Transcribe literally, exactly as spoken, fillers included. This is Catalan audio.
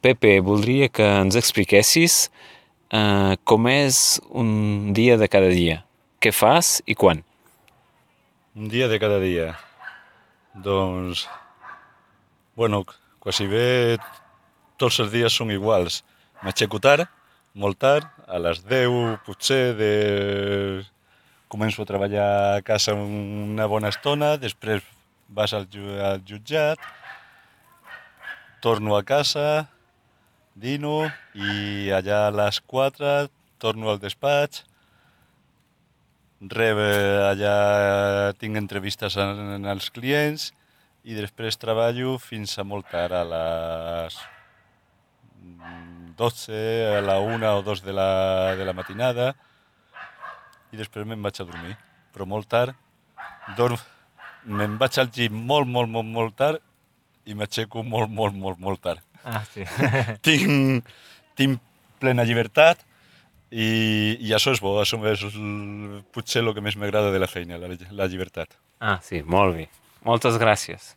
Pepe, voldria que ens expliquessis eh, com és un dia de cada dia. Què fas i quan? Un dia de cada dia. Doncs, bueno, quasi bé tots els dies són iguals. M'aixeco tard, molt tard, a les deu potser de... començo a treballar a casa una bona estona, després vas al, ju- al jutjat, torno a casa, dino i allà a les quatre torno al despatx, rebe allà tinc entrevistes amb els clients i després treballo fins a molt tard, a les dotze, a la una o dos de la, de la matinada i després me'n vaig a dormir, però molt tard, dorm, me'n vaig al gym molt, molt, molt, molt tard i m'aixeco molt, molt, molt, molt tard. Ah, sí. tinc, tinc plena llibertat i, i això és bo, això és el, potser el que més m'agrada de la feina, la, la llibertat. Ah, sí, molt bé. Moltes gràcies.